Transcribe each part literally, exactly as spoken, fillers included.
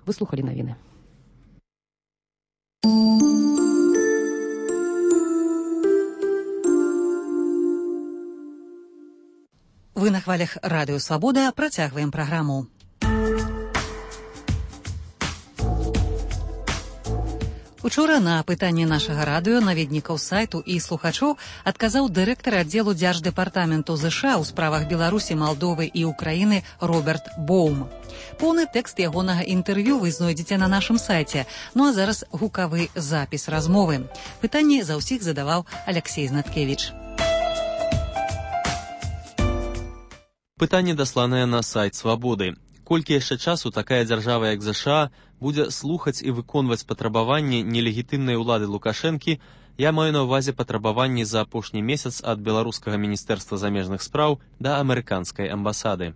Вы слухали навіны. Вы на хвалях Радыё Свабода, працягваем праграму. Учора на пытанне нашага радыё, наведнікаў сайту і слухачоў адказаў дырэктар аддзелу Дзярждэпартаменту ЗША ў справах Беларусі, Малдовы і Украіны Роберт Боум. Поўны тэкст ягонага інтэрв'ю вы знойдзеце на нашым сайце. Ну а зараз гукавы запіс размовы. Пытанні за ўсіх задаваў Аляксей Знаткевіч. Пытанне дасланае на сайт Свабоды. Колькі яшчэ часу такая дзяржава, як ЗША, будзе слухаць і выконваць патрабаванні нелегітымнай улады Лукашэнкі, я маю на ўвазе патрабаванні за апошні месяц ад беларускага міністэрства замежных спраў да амерыканскай амбасады.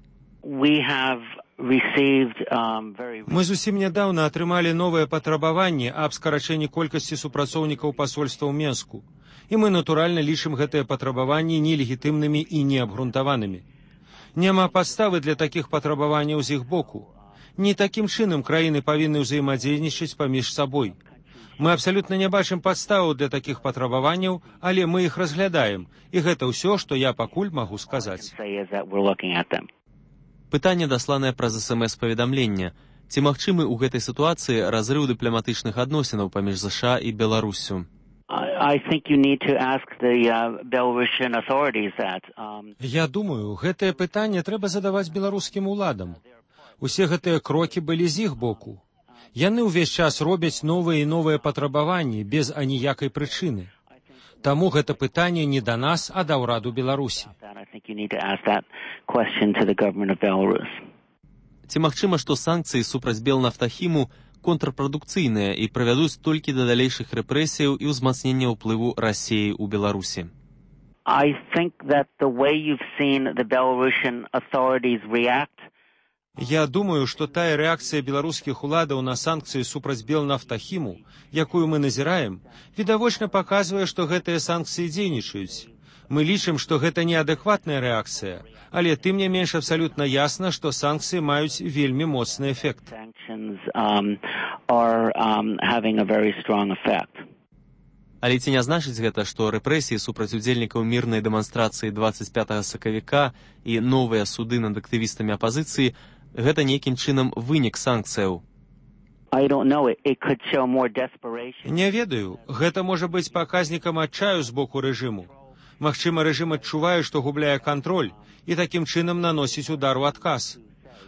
Мы зусім нядаўна атрымалі новыя патрабаванні аб скарачэнні колькасці супрацоўнікаў пасольства ў Менску. І мы, натуральна, лічым гэтыя патрабаванні нелегітымнымі і неабгрунтаванымі. Няма падставы для такіх патрабаванняў з іх боку. Не такім чынам краіны павінны ўзаемадзейнічаць паміж сабой. Мы абсалютна не бачым падставаў для такіх патрабаванняў, але мы іх разглядаем, і гэта ўсё, што я пакуль магу сказаць. Пытанне дасланае праз эс эм эс-паведамленне. Ці магчымы ў гэтай сітуацыі разрыў дыпламатычных адносінаў паміж ЗША і Беларуссю? Я думаю, гэтае пытанне трэба задаваць беларускім уладам. Усе гэтыя крокі былі з іх боку. Яны ўвесь час робяць новыя і новыя патрабаванні без аніякай прычыны. Таму гэта пытанне не да нас, а да ўраду Беларусі. Ці магчыма, што санкцыі супраць Белнафтахіму контрпрадукцыйныя і прывядуць толькі да далейшых рэпрэсіяў і ўзмацнення ўплыву Расіі ў Беларусі? Я думаю, што тая рэакцыя беларускіх уладаў на санкцыі супраць Белнафтахіму, якую мы назіраем, відавочна паказвае, што гэтыя санкцыі дзейнічаюць. Мы лічым, што гэта неадэкватная рэакцыя, але тым не менш абсалютна ясна, што санкцыі маюць вельмі моцны эфект. Але ці не значыць гэта, што рэпрэсіі супраць удзельнікаў мірнай дэманстрацыі дваццаць пятага сакавіка і новыя суды над актывістамі апазіцыі гэта нейкім чынам вынік санкцыяў? Не ведаю, гэта можа быць паказнікам адчаю з боку рэжыму. Магчыма, рэжым адчувае, што губляе кантроль і такім чынам наносіць удар у адказ.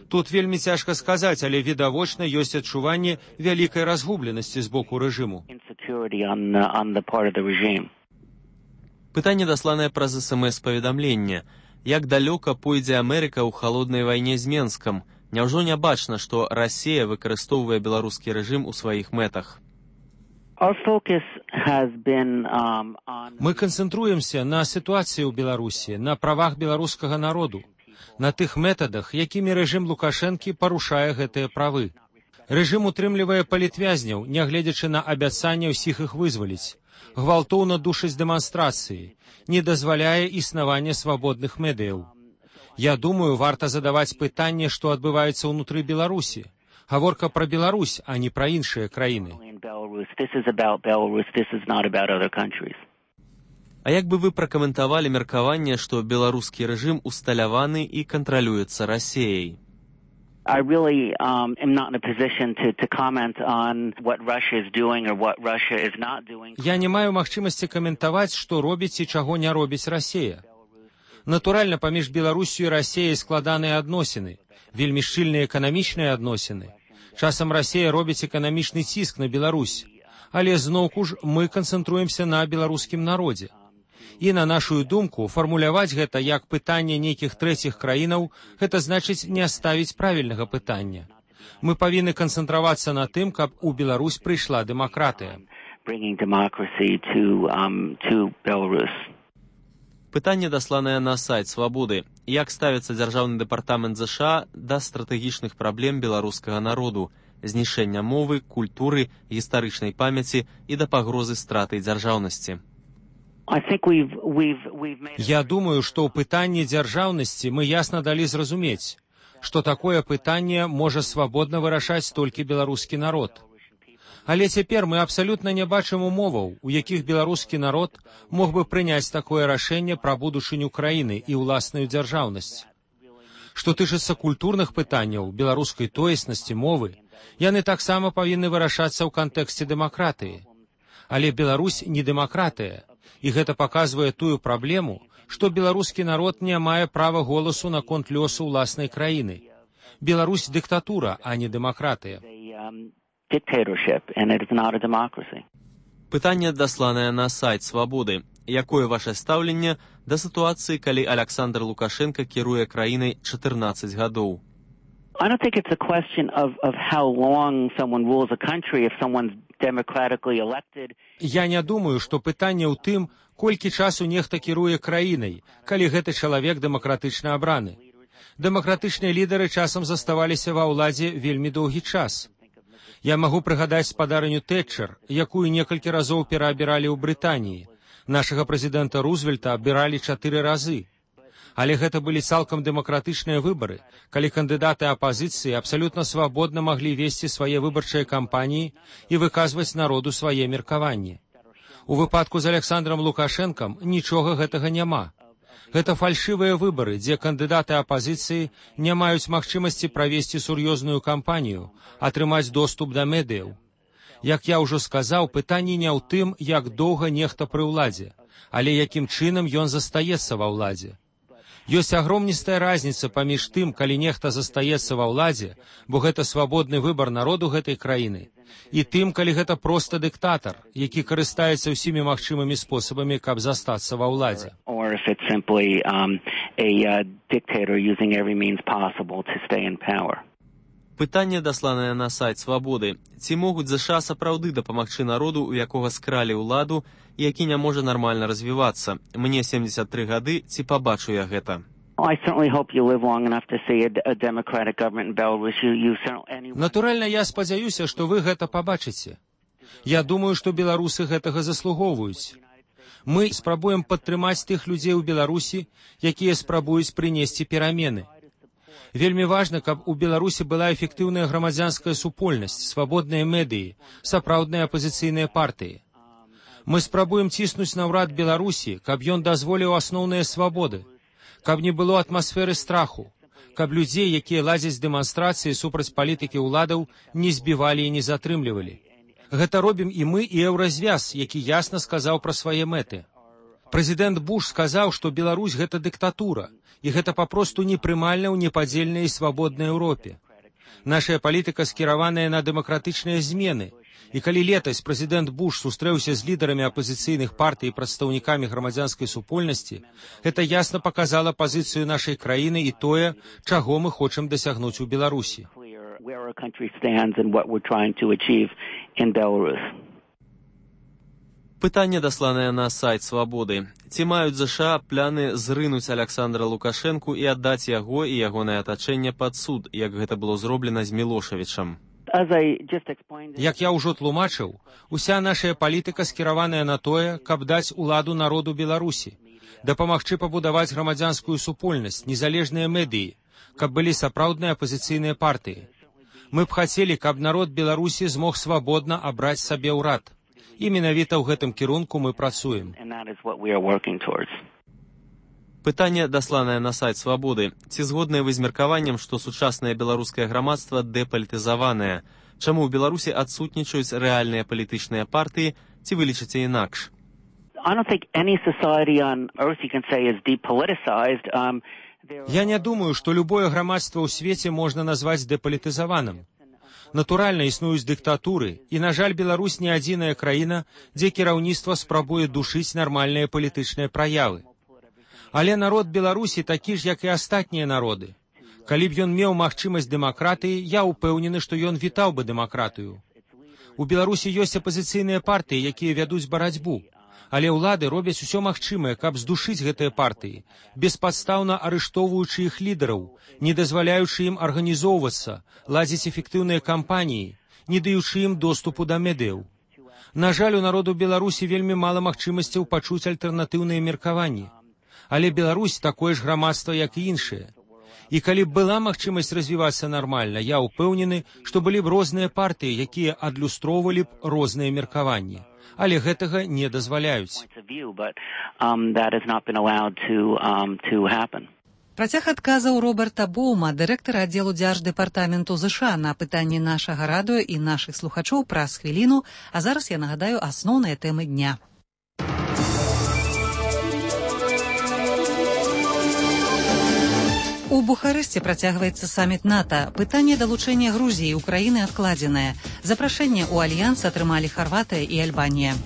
Тут вельмі цяжка сказаць, але відавочна ёсць адчуванне вялікай разгубленасці з боку рэжыму. Пытанне дасланае праз эс эм эс-паведамленне. Як далёка пойдзе Амерыка ў халоднай вайне з Менскам? Няўжо не бачна, што Расія выкарыстоўвае беларускі рэжым у сваіх мэтах? Мы канцэнтруемся на сітуацыі ў Беларусі, на правах беларускага народу, на тых метадах, якімі рэжым Лукашэнкі парушае гэтыя правы. Рэжым утрымлівае палітвязняў, нягледзячы на абяцанне ўсіх іх вызваліць, гвалтоўна душыць дэманстрацыі, не дазваляе існавання свабодных медыяў. Я думаю, варта задаваць пытанне, што адбываецца ўнутры Беларусі. Гаворка пра Беларусь, а не пра іншыя краіны. А як бы вы пракаментавалі меркаванне, што беларускі рэжым усталяваны і кантралюецца Расіяй? Я не маю магчымасці каментаваць, што робіць і чаго не робіць Расія. Натуральна, паміж Беларусю і Расіяй складаныя адносіны, вельмі шчыльныя эканамічныя адносіны. Часам Расія робіць эканамічны ціск на Беларусь, але зноўку ж мы канцэнтруемся на беларускім народзе. І на нашу думку, фармуляваць гэта як пытанне нейкіх трэціх краінаў, гэта значыць не ставіць правільнага пытання. Мы павінны канцэнтравацца на тым, каб у Беларусь прыйшла дэмакратыя. Пытанне дасланае на сайт Свабоды. Як ставіцца дзяржаўны дэпартамент ЗША да стратэгічных праблем беларускага народу, знішэння мовы, культуры, гістарычнай памяці і да пагрозы страты дзяржаўнасці? Я думаю, што ў пытанні дзяржаўнасці мы ясна далі зразумець. што такое пытанне можа свабодна вырашаць толькі беларускі народ. Але цяпер мы абсалютна не бачым умоваў, у якіх беларускі народ мог бы прыняць такое рашэнне пра будучыню краіны і ўласную дзяржаўнасць. Што тычыцца культурных пытанняў, беларускай тоеснасці, мовы, яны таксама павінны вырашацца ў кантэксце дэмакратыі. Але Беларусь не дэмакратыя, і гэта паказвае тую праблему, што беларускі народ не мае права голасу наконт лёсу ўласнай краіны. Беларусь дыктатура, а не дэмакратыя. Пытанне дасланае на сайт Свабоды. Якое ваше стаўленне да сітуацыі, калі Александр Лукашенко кіруе краінай чатырнаццаць гадоў? I don't think it's a question of, of how long someone rules a country if someone's democratically elected. Я не думаю, што пытанне ў тым, колькі часу нехта кіруе краінай, калі гэты чалавек дэмакратычна абраны. Дэмакратычныя лідары часам заставаліся ва ўладзе вельмі доўгі час. Я магу прыгадаць спадарыню Тэтчер, якую некалькі разоў пераабіралі ў Брытаніі. Нашага прэзідэнта Рузвельта абіралі чатыры разы. Але гэта былі цалкам дэмакратычныя выбары, калі кандыдаты апазіцыі абсалютна свабодна маглі весці свае выбарчыя кампаніі і выказваць народу свае меркаванні. У выпадку з Александром Лукашэнкам нічога гэтага няма. Гэта фальшывыя выбары, дзе кандыдаты апазіцыі не маюць магчымасці правесці сур'ёзную кампанію, атрымаць доступ да медыяў. Як я ўжо сказаў, пытанне не ў тым, як доўга нехта пры ўладзе, але якім чынам ён застаецца ва ўладзе. Ёсць агромністая разніца паміж тым, калі нехта застаецца ва ўладзе, бо гэта свабодны выбар народу гэтай краіны, і тым, калі гэта проста дыктатар, які карыстаецца ўсімі магчымымі спосабамі, каб застацца ва ўладзе. Or if it's simply um, a uh, dictator using every means possible to stay in power. Пытанне дасланае на сайт Свабоды. Ці могуць ЗША сапраўды дапамагчы народу, у якога скралі ўладу, і які не можа нармальна развівацца? Мне семдзесят тры гады, ці пабачу я гэта? Натуральна, я спадзяюся, што вы гэта пабачыце. Я думаю, што беларусы гэтага заслугоўваюць. Мы спрабуем падтрымаць тых людзей у Беларусі, якія спрабуюць прынесці перамены. Вельмі важна, каб у Беларусі была эфектыўная грамадзянская супольнасць, свабодныя медыі, сапраўдныя апазіцыйныя партыі. Мы спрабуем ціснуць на ўрад Беларусі, каб ён дазволіў асноўныя свабоды, каб не было атмасферы страху, каб людзей, якія ладзяць дэманстрацыі супраць палітыкі ўладаў, не збівалі і не затрымлівалі. Гэта робім і мы, і Еўразвяз, які ясна сказаў пра свае мэты. Прэзідэнт Буш сказаў, што Беларусь гэта дыктатура, і гэта папросту непрымальна ў непадзельнай і свабоднай Еўропе. Нашая палітыка скіраваная на дэмакратычныя змены, і калі летась прэзідэнт Буш сустрэўся з лідарамі апазіцыйных партый і прадстаўнікамі грамадзянскай супольнасці, гэта ясна паказала пазіцыю нашай краіны і тое, чаго мы хочам дасягнуць у Беларусі. Пытанне дасланае на сайт Свабоды. Ці маюць ЗША пляны зрынуць Александра Лукашэнку і аддаць яго і ягонае атачэнне пад суд, як гэта было зроблена з Мілошавічам? Як я ўжо тлумачыў, уся наша палітыка скіраваная на тое, каб даць уладу народу Беларусі, дапамагчы пабудаваць грамадзянскую супольнасць, незалежныя медыі, каб былі сапраўдныя апазіцыйныя партыі. Мы б хацелі, каб народ Беларусі змог свабодна абраць сабе ўрад. І менавіта ў гэтым кірунку мы працуем. Пытанне дасланае на сайт Свабоды. Ці згодныя вы з меркаваннем, што сучаснае беларускае грамадства дэпалітызаванае? Чаму ў Беларусі адсутнічаюць рэальныя палітычныя партыі, ці вы лічыце інакш? Я не думаю, што любое грамадства ў свеце можна назваць дэпалітызаваным. Натуральна, існуюць дыктатуры, і, на жаль, Беларусь не адзіная краіна, дзе кіраўніцтва спрабуе душыць нармальныя палітычныя праявы. Але народ Беларусі такі ж, як і астатнія народы. Калі б ён меў магчымасць дэмакратыі, я ўпэўнены, што ён вітаў бы дэмакратыю. У Беларусі ёсць апазіцыйныя партыі, якія вядуць барацьбу, але ўлады робяць усё магчымае, каб здушыць гэтыя партыі, беспадстаўна арыштоўваючы іх лідараў, не дазваляючы ім арганізоўвацца, ладзіць эфектыўныя кампаніі, не даючы ім доступу да медыяў. На жаль, у народу Беларусі вельмі мала магчымасцяў пачуць альтэрнатыўныя меркаванні. Але Беларусь такое ж грамадства, як і іншыя. І калі б была магчымасць развівацца нармальна, я ўпэўнены, што былі б розныя партыі, якія адлюстроўвалі б розныя меркаванні. Але гэтага не дазваляюць. Працяг адказаў Роберта Боума, дырэктара аддзелу Дзярждэпартаменту ЗША, на пытанні нашага радыё і нашых слухачоў праз хвіліну, а зараз я нагадаю асноўныя тэмы дня. У Бухарэсце працягваецца саміт НАТО. Пытанне далучэння Грузіі і Украіны адкладзенае. Запрашэнне ў альянс атрымалі Харватыя і Альбанія.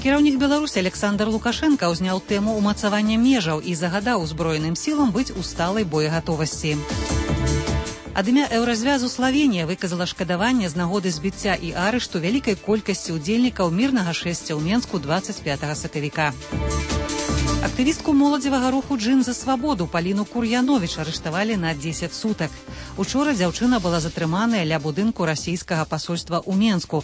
Кіраўнік Беларусі Александр Лукашенка ўзняў тэму ўмацавання межаў і загадаў узброеным сілам быць у сталай боегатовасці. Ад імя Еўразвязу Славенія выказала шкадаванне з нагоды збіцця і арышту вялікай колькасці ўдзельнікаў мірнага шэсця ў Менску дваццаць пятага сакавіка. Актывістку моладзевага руху «Джин за свабоду» Паліну Кур'яновіч арыштавалі на дзесяць сутак. Учора дзяўчына была затрыманая ля будынку расійскага пасольства ў Менску.